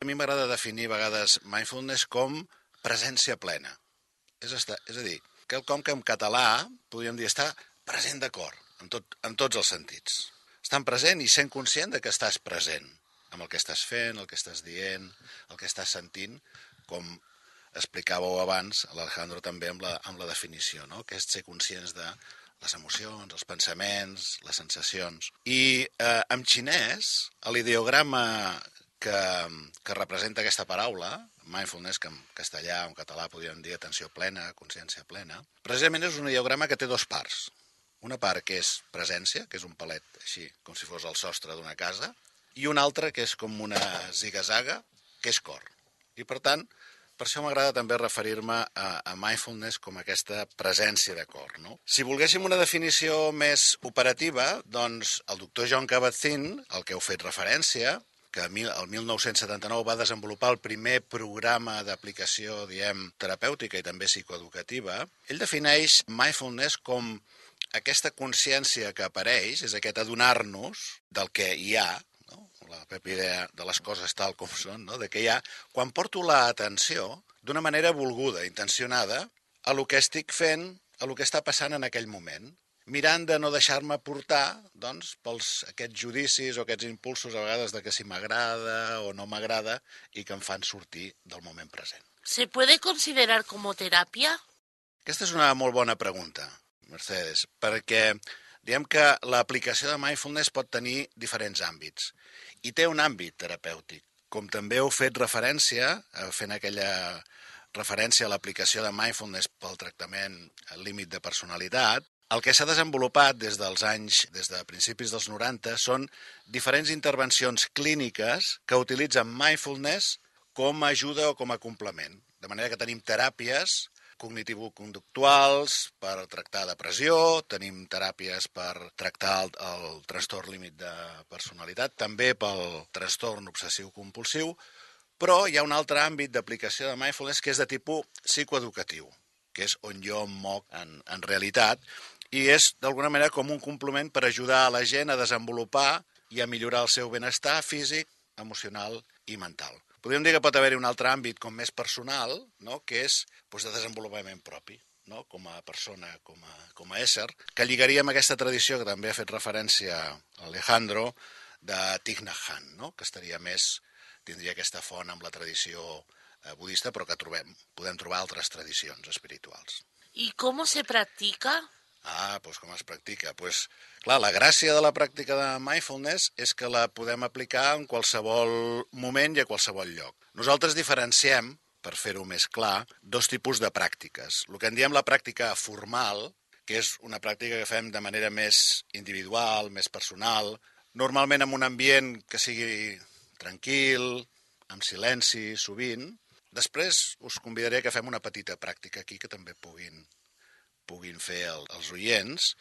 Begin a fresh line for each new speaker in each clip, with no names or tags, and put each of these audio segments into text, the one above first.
A mi m'agrada definir a vegades mindfulness com presència plena. És a dir, quelcom que en català podríem dir estar present de cor, en tots els sentits. Estar present i sent conscient de que estàs present amb el que estàs fent, el que estàs dient, el que estàs sentint, com explicàveu abans, l'Alejandro també amb la definició, no? Que és ser conscients de les emocions, els pensaments, les sensacions. I en xinès, l'ideograma que representa aquesta paraula, mindfulness, que en castellà o en català podríem dir atenció plena, consciència plena, precisament és un ideograma que té dues parts. Una part que és presència, que és un palet així, com si fos el sostre d'una casa, i una altra que és com una ziga-zaga, que és cor. I per tant, per això m'agrada també referir-me a mindfulness com aquesta presència de cor, no? Si volguéssim una definició més operativa, doncs el doctor Jon Kabat-Zinn, al que heu fet referència, que el 1979 va desenvolupar el primer programa d'aplicació, diem, terapèutica i també psicoeducativa, ell defineix mindfulness com aquesta consciència que apareix, és aquest adonar-nos del que hi ha, no? La pròpia idea de les coses tal com són, no? De que hi ha, quan porto l'atenció d'una manera volguda, intencionada, a lo que estic fent, a lo que està passant en aquell moment, mirant de no deixar-me portar, doncs, pels aquests judicis o aquests impulsos a vegades de que si m'agrada o no m'agrada i que em fan sortir del moment present.
¿Se puede considerar como terapia?
Aquesta és una molt bona pregunta, Mercedes, perquè diem que l'aplicació de mindfulness pot tenir diferents àmbits i té un àmbit terapèutic. Com també heu fet referència, fent aquella referència a l'aplicació de mindfulness pel tractament al límit de personalitat, el que s'ha desenvolupat des de principis dels 90 són diferents intervencions clíniques que utilitzen mindfulness com a ajuda o com a complement. De manera que tenim teràpies cognitivo-conductuals per tractar depressió, tenim teràpies per tractar el trastorn límit de personalitat, també pel trastorn obsessiu-compulsiu, però hi ha un altre àmbit d'aplicació de mindfulness que és de tipus psicoeducatiu, que és on jo em moc en realitat, i és d'alguna manera com un complement per ajudar a la gent a desenvolupar i a millorar el seu benestar físic, emocional i mental. Podríem dir que pot haver-hi un altre àmbit com més personal, no? Que és de desenvolupament propi, no? Com a persona, com a ésser, que lligaria amb aquesta tradició que també ha fet referència Alejandro de Thich Nhat Hanh, no? Que tindria aquesta font amb la tradició budista, però que podem trobar altres tradicions espirituals.
¿Y cómo se practica?
Com es practica? Clar, la gràcia de la pràctica de mindfulness és que la podem aplicar en qualsevol moment i a qualsevol lloc. Nosaltres diferenciem, per fer-ho més clar, dos tipus de pràctiques. El que en diem la pràctica formal, que és una pràctica que fem de manera més individual, més personal, normalment en un ambient que sigui tranquil, amb silenci, sovint. Després us convidaré que fem una petita pràctica aquí que també puguin fer els oients,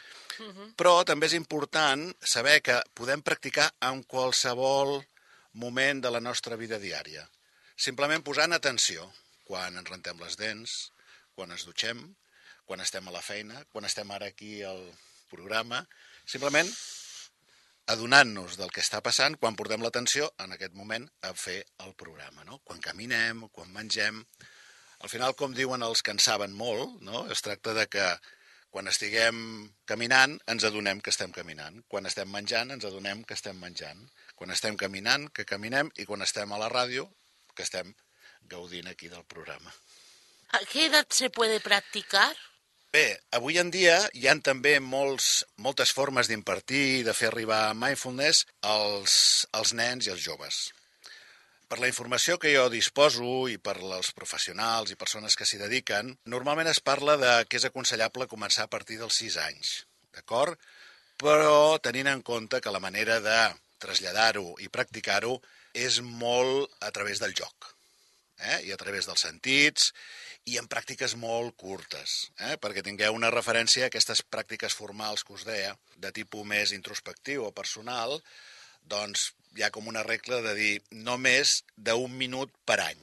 però també és important saber que podem practicar en qualsevol moment de la nostra vida diària. Simplement posant atenció quan ens rentem les dents, quan ens dutxem, quan estem a la feina, quan estem ara aquí al programa, simplement adonant-nos del que està passant quan portem l'atenció en aquest moment a fer el programa, no? Quan caminem, quan mengem. Al final, com diuen els que en saben molt, no? Es tracta de que quan estiguem caminant ens adonem que estem caminant. Quan estem menjant ens adonem que estem menjant. Quan estem caminant, que caminem. I quan estem a la ràdio, que estem gaudint aquí del programa.
¿A qué edad se puede practicar?
Bé, avui en dia hi ha també moltes formes d'impartir i de fer arribar mindfulness als nens i als joves. Per la informació que jo disposo i per als professionals i persones que s'hi dediquen, normalment es parla de que és aconsellable començar a partir dels 6 anys, d'acord? Però tenint en compte que la manera de traslladar-ho i practicar-ho és molt a través del joc, i a través dels sentits i en pràctiques molt curtes, perquè tingueu una referència a aquestes pràctiques formals que us deia, de tipus més introspectiu o personal, doncs hi ha com una regla de dir no més d'1 minut per any.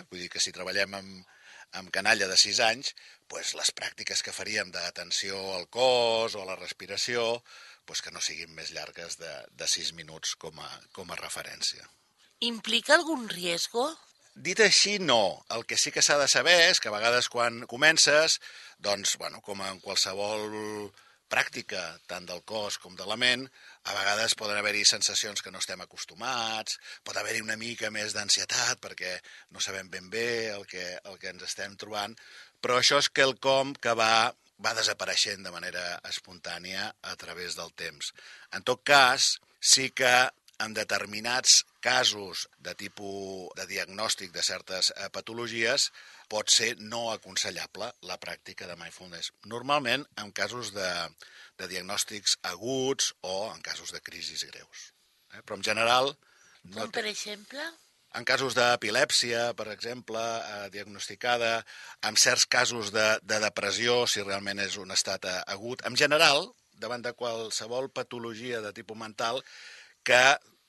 Vull dir que si treballem amb canalla de 6 anys, doncs les pràctiques que faríem d'atenció al cos o a la respiració, doncs que no siguin més llargues de 6 minuts com a referència.
¿Implica algún riesgo?
Dit així, no. El que sí que s'ha de saber és que a vegades quan comences, doncs, bueno, com en qualsevol pràctica, tant del cos com de la ment, a vegades poden haver-hi sensacions que no estem acostumats, pot haver-hi una mica més d'ansietat perquè no sabem ben bé el que ens estem trobant, però això és quelcom que va desapareixent de manera espontània a través del temps. En tot cas, sí que en determinats casos de tipus de diagnòstic de certes patologies pot ser no aconsellable la pràctica de mindfulness. Normalment en casos de diagnòstics aguts o en casos de crisis greus. Però en general...
Com per exemple?
En casos d'epilèpsia, per exemple, diagnosticada, en certs casos de depressió, si realment és un estat agut. En general, davant de qualsevol patologia de tipus mental, que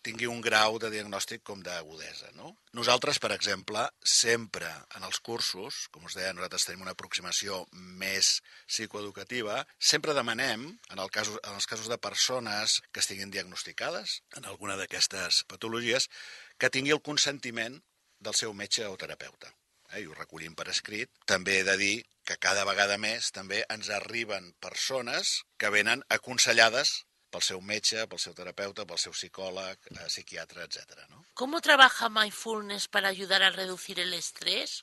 tingui un grau de diagnòstic com d'agudesa, no? Nosaltres, per exemple, sempre en els cursos, com us deia, nosaltres tenim una aproximació més psicoeducativa, sempre demanem, en els casos de persones que estiguin diagnosticades en alguna d'aquestes patologies, que tingui el consentiment del seu metge o terapeuta. I ho recollim per escrit. També he de dir que cada vegada més també ens arriben persones que venen aconsellades pel seu metge, pel seu terapeuta, pel seu psicòleg, psiquiatre, etc. ¿no?
¿Cómo trabaja mindfulness para ayudar a reducir el estrés?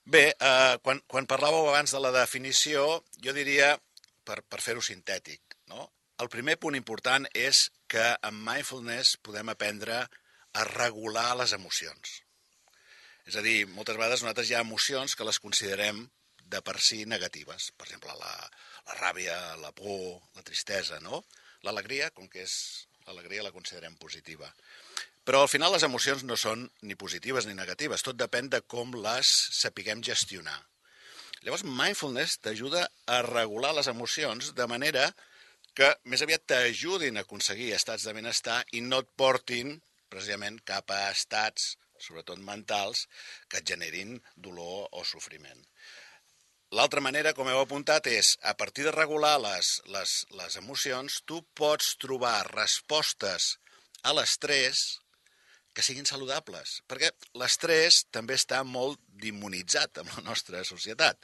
Bé, quan parlàveu abans de la definició, jo diria, per fer-ho sintètic, no? El primer punt important és que amb mindfulness podem aprendre a regular les emocions. És a dir, moltes vegades nosaltres hi ha emocions que les considerem de per si negatives. Per exemple, la ràbia, la por, la tristesa, no? L'alegria, com que és l'alegria, la considerem positiva. Però al final les emocions no són ni positives ni negatives. Tot depèn de com les sapiguem gestionar. Llavors, mindfulness t'ajuda a regular les emocions de manera que més aviat t'ajudin a aconseguir estats de benestar i no et portin precisament cap a estats, sobretot mentals, que et generin dolor o sofriment. L'altra manera, com heu apuntat, és a partir de regular les emocions, tu pots trobar respostes a l'estrès que siguin saludables, perquè l'estrès també està molt demonitzat en la nostra societat.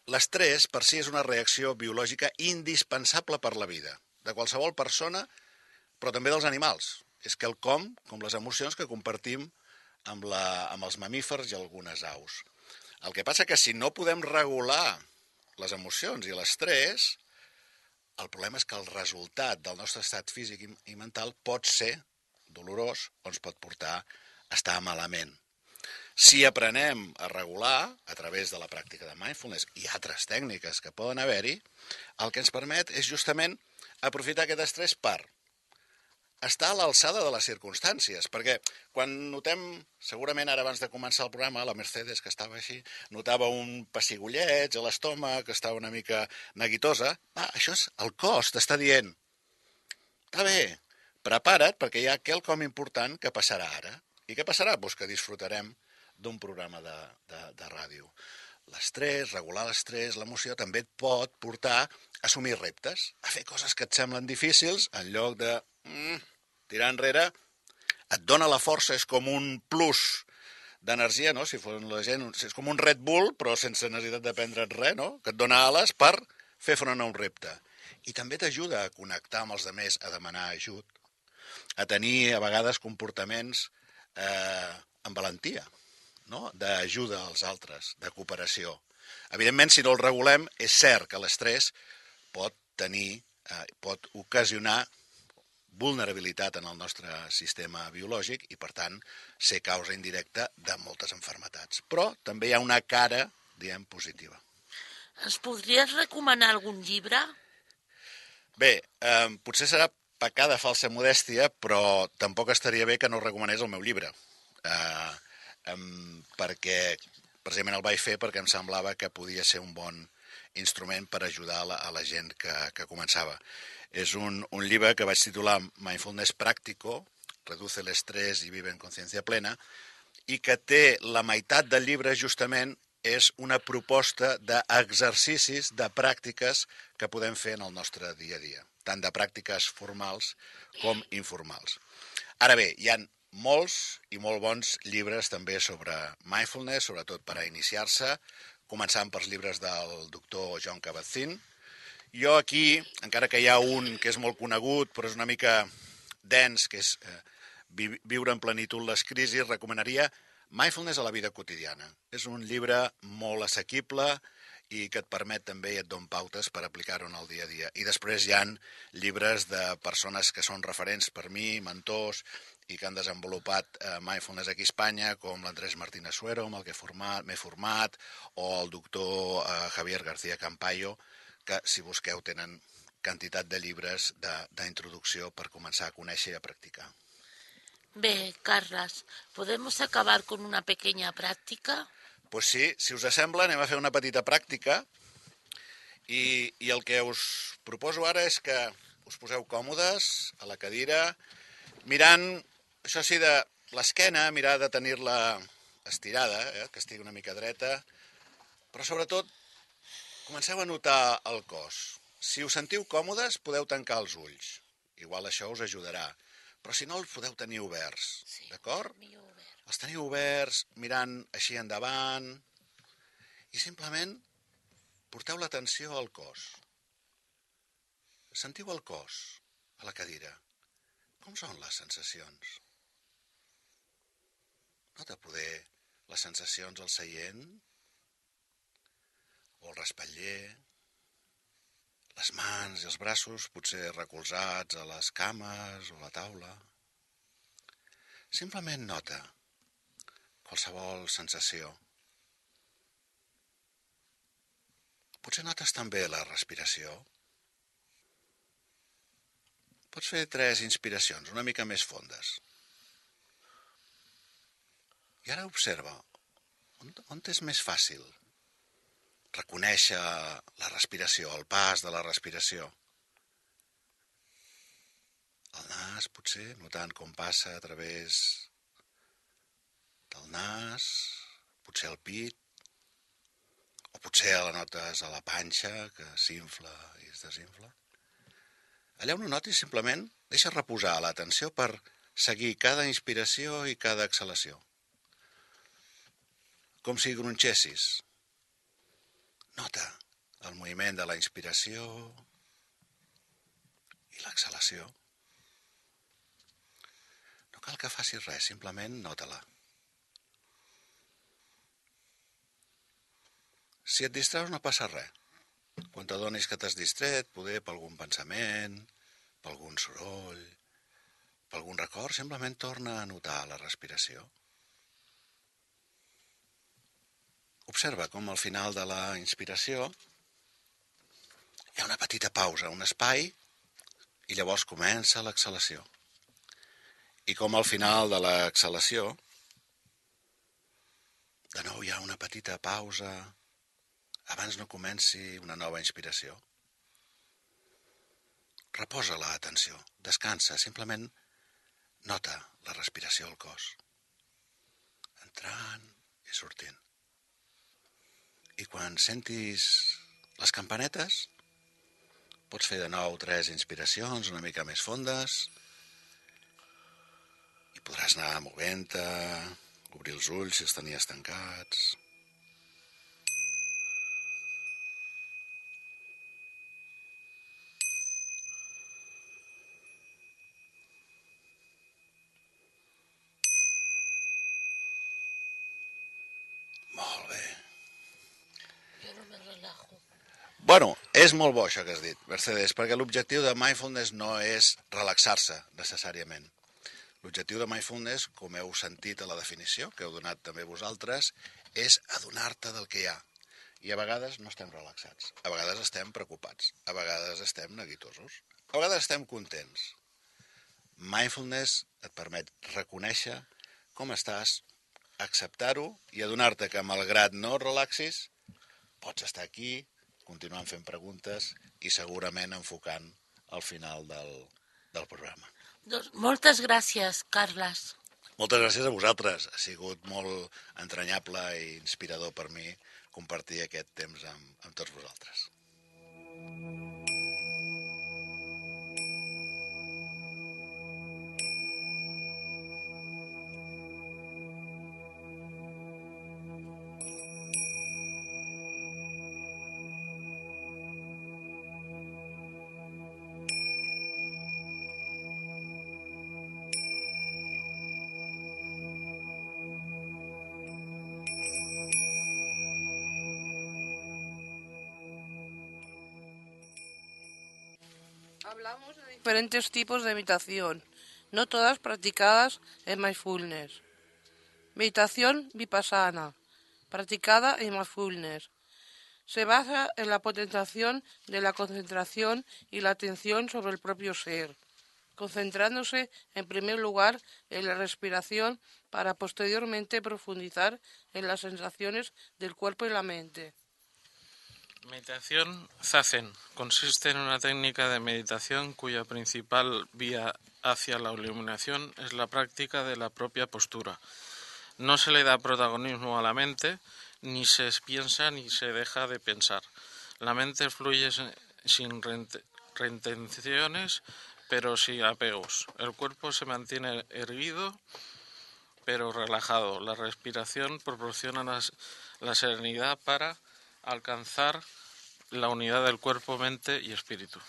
L'estrès per si és una reacció biològica indispensable per la vida, de qualsevol persona, però també dels animals. És quelcom, com les emocions, que compartim amb els mamífers i algunes aus. El que passa que si no podem regular les emocions i l'estrès, el problema és que el resultat del nostre estat físic i mental pot ser dolorós o ens pot portar a estar malament. Si aprenem a regular a través de la pràctica de mindfulness i altres tècniques que poden haver-hi, el que ens permet és justament aprofitar aquest estrès per estar a l'alçada de les circumstàncies, perquè quan notem, segurament ara abans de començar el programa, la Mercedes, que estava així, notava un pessigolleig a l'estómac, que estava una mica neguitosa, això és el cos, t'està dient, està bé, prepara't perquè hi ha quelcom important que passarà ara. I què passarà? Doncs que disfrutarem d'un programa de ràdio. L'estrès, regular l'estrès, l'emoció, també et pot portar a assumir reptes, a fer coses que et semblen difícils, en lloc de tirar enrere, et dona la força, és com un plus d'energia, no? Si fos la gent, és com un Red Bull, però sense necessitat de prendre't res, no? Que et dona ales per fer front a un repte. I també t'ajuda a connectar amb els altres, a demanar ajut, a tenir a vegades comportaments amb valentia, no? D'ajuda als altres, de cooperació. Evidentment, si no el regulem, és cert que l'estrès pot ocasionar vulnerabilitat en el nostre sistema biològic i, per tant, ser causa indirecta de moltes malalties. Però també hi ha una cara, diguem, positiva.
Ens podries recomanar algun llibre?
Bé, potser serà pecar de falsa modèstia, però tampoc estaria bé que no recomanés el meu llibre. Perquè precisament el vaig fer perquè em semblava que podia ser un bon instrument per ajudar a la gent que començava. És un llibre que vaig titular Mindfulness Práctico, Reduce el estrés i vive en consciència plena, i que té la meitat del llibre justament és una proposta d'exercicis, de pràctiques que podem fer en el nostre dia a dia, tant de pràctiques formals com informals. Ara bé, hi ha molts i molt bons llibres també sobre mindfulness, sobretot per a iniciar-se, començant pels llibres del doctor Jon Kabat-Zinn. Jo aquí, encara que hi ha un que és molt conegut, però és una mica dens, que és Viure en plenitud les crisis, recomanaria Mindfulness a la vida quotidiana. És un llibre molt assequible i que et permet també i et don pautes per aplicar-ho en el dia a dia. I després hi ha llibres de persones que són referents per mi, mentors, i que han desenvolupat mindfulness aquí a Espanya, com l'Andrés Martínez Suero, amb el que m'he format, o el doctor Javier García Campayo, que, si busqueu, tenen quantitat de llibres d'introducció per començar a conèixer i a practicar.
Bé, Carles, ¿podemos acabar con una pequeña práctica?
Pues sí, si us sembla, anem a fer una petita pràctica i el que us proposo ara és que us poseu còmodes a la cadira, mirant, això sí, de l'esquena, mirar de tenir-la estirada, que estigui una mica dreta, però sobretot comenceu a notar el cos. Si us sentiu còmodes, podeu tancar els ulls. Igual això us ajudarà. Però si no, els podeu tenir oberts, d'acord? Els teniu oberts, mirant així endavant, i simplement porteu l'atenció al cos. Sentiu el cos a la cadira. Com són les sensacions? Nota poder les sensacions al seient, o al respatller, les mans i els braços potser recolzats a les cames o a la taula. Simplement nota qualsevol sensació. Potser notes també la respiració. Pots fer 3 inspiracions, una mica més fondes. I ara observa, on és més fàcil reconèixer la respiració, el pas de la respiració? El nas, potser, notant com passa a través del nas, potser el pit, o potser la notes a la panxa, que s'infla i es desinfla. Allà on ho notis, simplement deixa reposar l'atenció per seguir cada inspiració i cada exhalació. Com si gronxessis. Nota el moviment de la inspiració i l'exhalació. No cal que facis res, simplement nota-la. Si et distraus no passa res. Quan t'adonis que t'has distret, poder per algun pensament, per algun soroll, per algun record, simplement torna a notar la respiració. Observa com al final de la inspiració hi ha una petita pausa, un espai, i llavors comença l'exhalació. I com al final de l'exhalació, de nou hi ha una petita pausa abans no comenci una nova inspiració. Reposa l'atenció, descansa, simplement nota la respiració al cos, entrant i sortint. I quan sentis les campanetes, pots fer de nou 3 inspiracions una mica més fondes i podràs anar movent-te, obrir els ulls si els tenies tancats. Molt bé.
Jo no me relajo.
Bueno, és molt bo això que has dit, Mercedes, perquè l'objectiu de mindfulness no és relaxar-se necessàriament. L'objectiu de mindfulness, com heu sentit a la definició, que heu donat també vosaltres, és adonar-te del que hi ha. I a vegades no estem relaxats, a vegades estem preocupats, a vegades estem neguitosos, a vegades estem contents. Mindfulness et permet reconèixer com estàs, acceptar-ho i adonar-te que malgrat no relaxis, pots estar aquí, continuant fent preguntes i segurament enfocant al final del programa.
Doncs moltes gràcies, Carles.
Moltes gràcies a vosaltres. Ha sigut molt entranyable i inspirador per mi compartir aquest temps amb tots vosaltres.
Hablamos de diferentes tipos de meditación, no todas practicadas en mindfulness. Meditación vipassana, practicada en mindfulness. Se basa en la potenciación de la concentración y la atención sobre el propio ser, concentrándose en primer lugar en la respiración para posteriormente profundizar en las sensaciones del cuerpo y la mente.
Meditación Zazen consiste en una técnica de meditación cuya principal vía hacia la iluminación es la práctica de la propia postura. No se le da protagonismo a la mente, ni se piensa ni se deja de pensar. La mente fluye sin reintenciones, pero sin apegos. El cuerpo se mantiene erguido, pero relajado. La respiración proporciona la serenidad para alcanzar la unidad del cuerpo, mente y espíritu.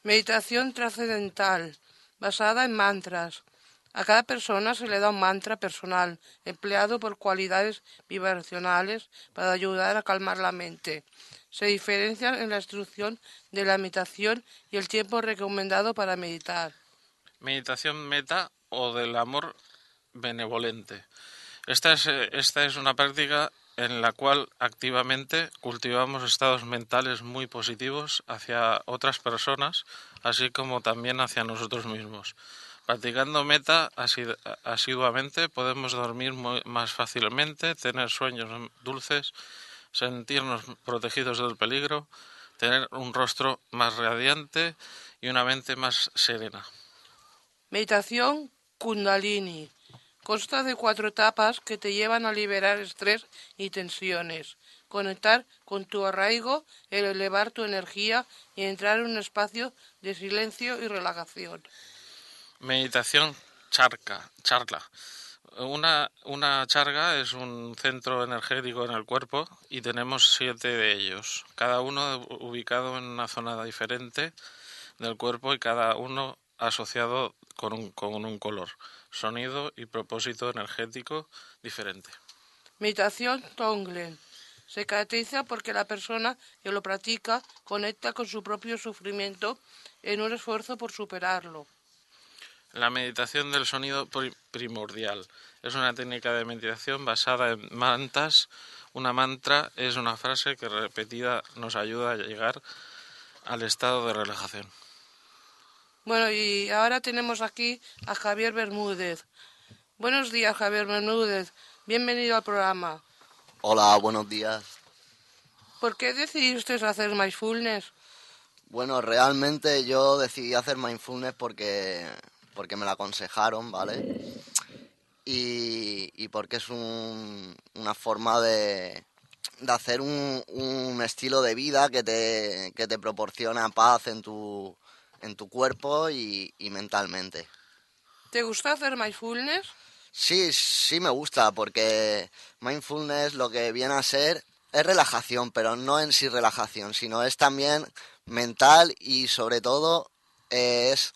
Meditación trascendental, basada en mantras. A cada persona se le da un mantra personal, empleado por cualidades vibracionales para ayudar a calmar la mente. Se diferencian en la instrucción de la meditación y el tiempo recomendado para meditar.
Meditación meta o del amor benevolente. Esta es una práctica en la cual activamente cultivamos estados mentales muy positivos hacia otras personas, así como también hacia nosotros mismos. Practicando meta asiduamente podemos dormir más fácilmente, tener sueños dulces, sentirnos protegidos del peligro, tener un rostro más radiante y una mente más serena.
Meditación Kundalini. Consta de 4 etapas que te llevan a liberar estrés y tensiones, conectar con tu arraigo, elevar tu energía y entrar en un espacio de silencio y relajación.
Meditación charla. Una charga es un centro energético en el cuerpo y tenemos 7 de ellos, cada uno ubicado en una zona diferente del cuerpo y cada uno asociado con un color, sonido y propósito energético diferente.
Meditación Tonglen. Se caracteriza porque la persona que lo practica conecta con su propio sufrimiento en un esfuerzo por superarlo.
La meditación del sonido primordial es una técnica de meditación basada en mantras. Una mantra es una frase que repetida nos ayuda a llegar al estado de relajación.
Bueno, y ahora tenemos aquí a Javier Bermúdez. Buenos días, Javier Bermúdez. Bienvenido al programa.
Hola, buenos días.
¿Por qué decidiste hacer mindfulness?
Bueno, realmente yo decidí hacer mindfulness porque me lo aconsejaron, ¿vale? Y porque es una forma de hacer un estilo de vida que te proporciona paz en tu cuerpo y mentalmente.
¿Te gusta hacer mindfulness?
Sí me gusta porque mindfulness lo que viene a ser es relajación, pero no en sí relajación, sino es también mental y sobre todo es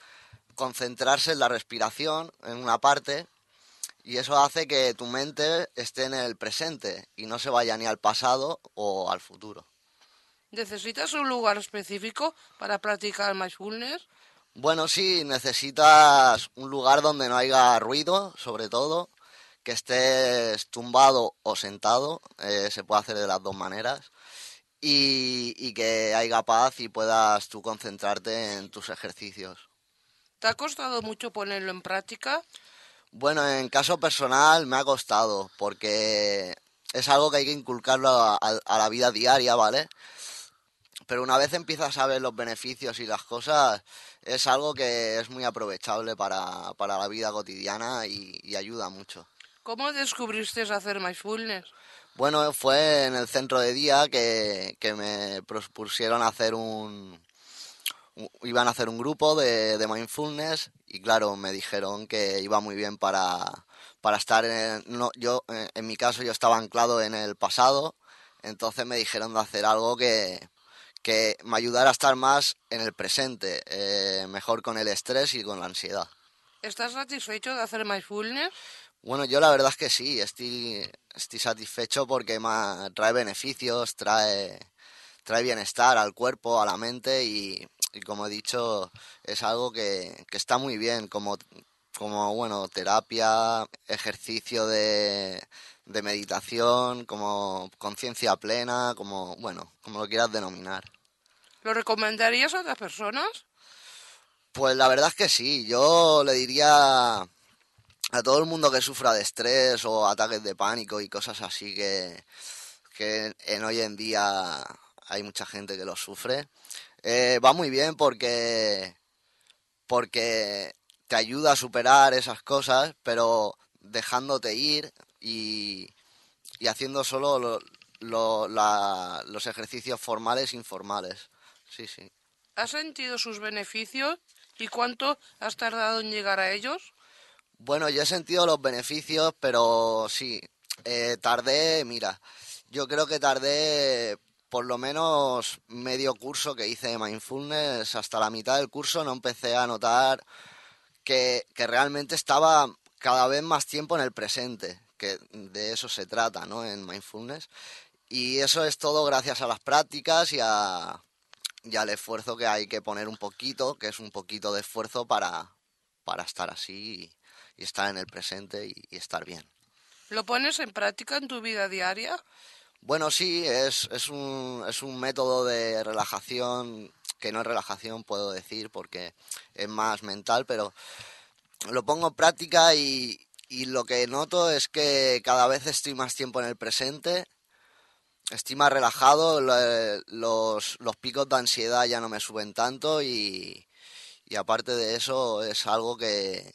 concentrarse en la respiración en una parte y eso hace que tu mente esté en el presente y no se vaya ni al pasado o al futuro.
¿Necesitas un lugar específico para practicar mindfulness?
Bueno, sí, necesitas un lugar donde no haya ruido, sobre todo, que estés tumbado o sentado, se puede hacer de las dos maneras, y que haya paz y puedas tú concentrarte en tus ejercicios.
¿Te ha costado mucho ponerlo en práctica?
Bueno, en caso personal me ha costado, porque es algo que hay que inculcarlo a la vida diaria, ¿vale? Pero una vez empiezas a ver los beneficios y las cosas, es algo que es muy aprovechable para la vida cotidiana y ayuda mucho.
¿Cómo descubriste hacer mindfulness?
Bueno, fue en el centro de día que me propusieron iban a hacer un grupo de mindfulness y claro, me dijeron que iba muy bien para para estar en mi caso yo estaba anclado en el pasado, entonces me dijeron de hacer algo que me ayudara a estar más en el presente, mejor con el estrés y con la ansiedad.
¿Estás satisfecho de hacer mindfulness?
Bueno, yo la verdad es que sí, estoy satisfecho porque trae beneficios, trae bienestar al cuerpo, a la mente y como he dicho, es algo que está muy bien como bueno, terapia, ejercicio de meditación, como conciencia plena, como lo quieras denominar.
¿Lo recomendarías a otras personas?
Pues la verdad es que sí, yo le diría a todo el mundo que sufra de estrés o ataques de pánico y cosas así que en hoy en día hay mucha gente que lo sufre. Va muy bien porque te ayuda a superar esas cosas, pero dejándote ir y haciendo solo los ejercicios formales e informales. Sí, sí.
¿Has sentido sus beneficios y cuánto has tardado en llegar a ellos?
Bueno, yo he sentido los beneficios, pero sí, yo creo que tardé por lo menos medio curso que hice de mindfulness, hasta la mitad del curso no empecé a notar que realmente estaba cada vez más tiempo en el presente, que de eso se trata, ¿no? En mindfulness. Y eso es todo gracias a las prácticas y al esfuerzo que hay que poner un poquito, que es un poquito de esfuerzo para estar así y estar en el presente y estar bien.
¿Lo pones en práctica en tu vida diaria?
Bueno, sí, es un método de relajación, que no es relajación, puedo decir, porque es más mental, pero lo pongo en práctica y lo que noto es que cada vez estoy más tiempo en el presente, estoy más relajado, los picos de ansiedad ya no me suben tanto y aparte de eso es algo que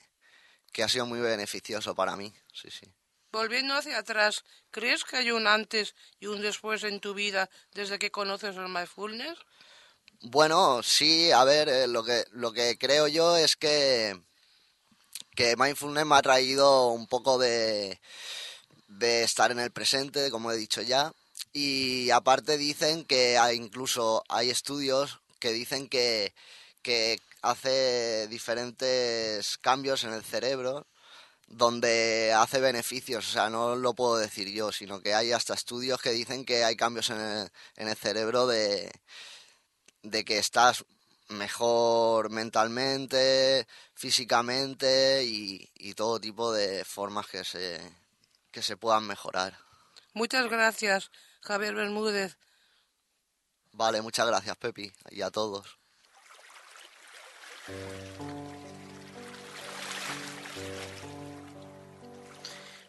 ha sido muy beneficioso para mí, sí, sí.
Volviendo hacia atrás, ¿crees que hay un antes y un después en tu vida desde que conoces el mindfulness?
Bueno, sí, a ver, lo que creo yo es que mindfulness me ha traído un poco de estar en el presente, como he dicho ya, y aparte dicen que incluso hay estudios que dicen que hace diferentes cambios en el cerebro donde hace beneficios, o sea, no lo puedo decir yo, sino que hay hasta estudios que dicen que hay cambios en el cerebro de que estás mejor mentalmente, físicamente y todo tipo de formas que se puedan mejorar.
Muchas gracias, Javier Bermúdez.
Vale, muchas gracias, Pepi, y a todos.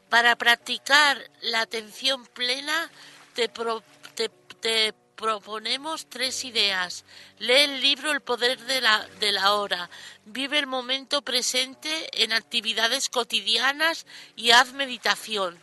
Para practicar la atención plena te proponemos 3 ideas. Lee el libro El poder de la hora. Vive el momento presente en actividades cotidianas y haz meditación.